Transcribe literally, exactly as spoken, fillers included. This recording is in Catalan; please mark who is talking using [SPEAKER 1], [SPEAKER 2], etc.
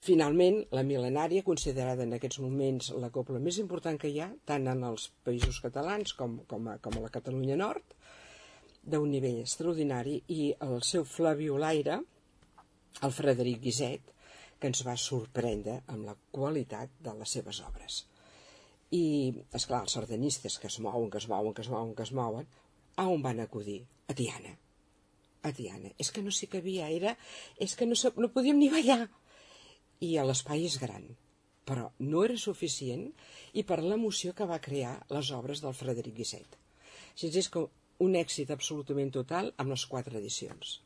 [SPEAKER 1] Finalment, la Mil·lenària, considerada en aquests moments la cobla més important que hi ha, tant en els Països Catalans com, com, a, com a la Catalunya Nord, d'un nivell extraordinari, i el seu flabiolaire, el Frederic Guiset, que ens va sorprendre amb la qualitat de les seves obres. I, esclar, els sardanistes que es mouen, que es mouen, que es mouen, que es mouen, a on van acudir? A Tiana. A Tiana. És que no s'hi cabia, era... És que no, no podíem ni ballar. I l'espai és gran, però no era suficient, i per l'emoció que va crear les obres del Frederic Guiset. Així és que un èxit absolutament total amb les quatre edicions.